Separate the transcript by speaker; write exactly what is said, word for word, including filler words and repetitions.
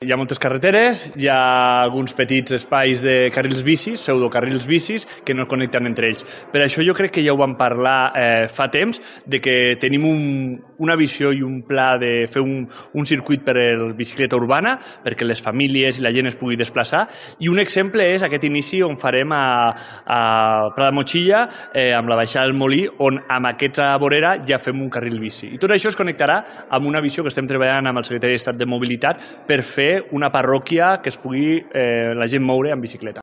Speaker 1: Hi ha moltes carreteres, hi ha alguns petits espais de carrils bicis, pseudocarrils bicis, que no es connecten entre ells. Per això jo crec que ja ho vam parlar eh, fa temps, de que tenim un, una visió i un pla de fer un, un circuit per a la bicicleta urbana, perquè les famílies i la gent es pugui desplaçar, i un exemple és aquest inici on farem a, a Pla de Motxilla, eh, amb la baixada del Molí, on amb aquesta vorera ja fem un carril bici. I tot això es connectarà amb una visió que estem treballant amb el Secretari d'Estat de Mobilitat per fer una parròquia que es pugui eh, la gent moure en bicicleta.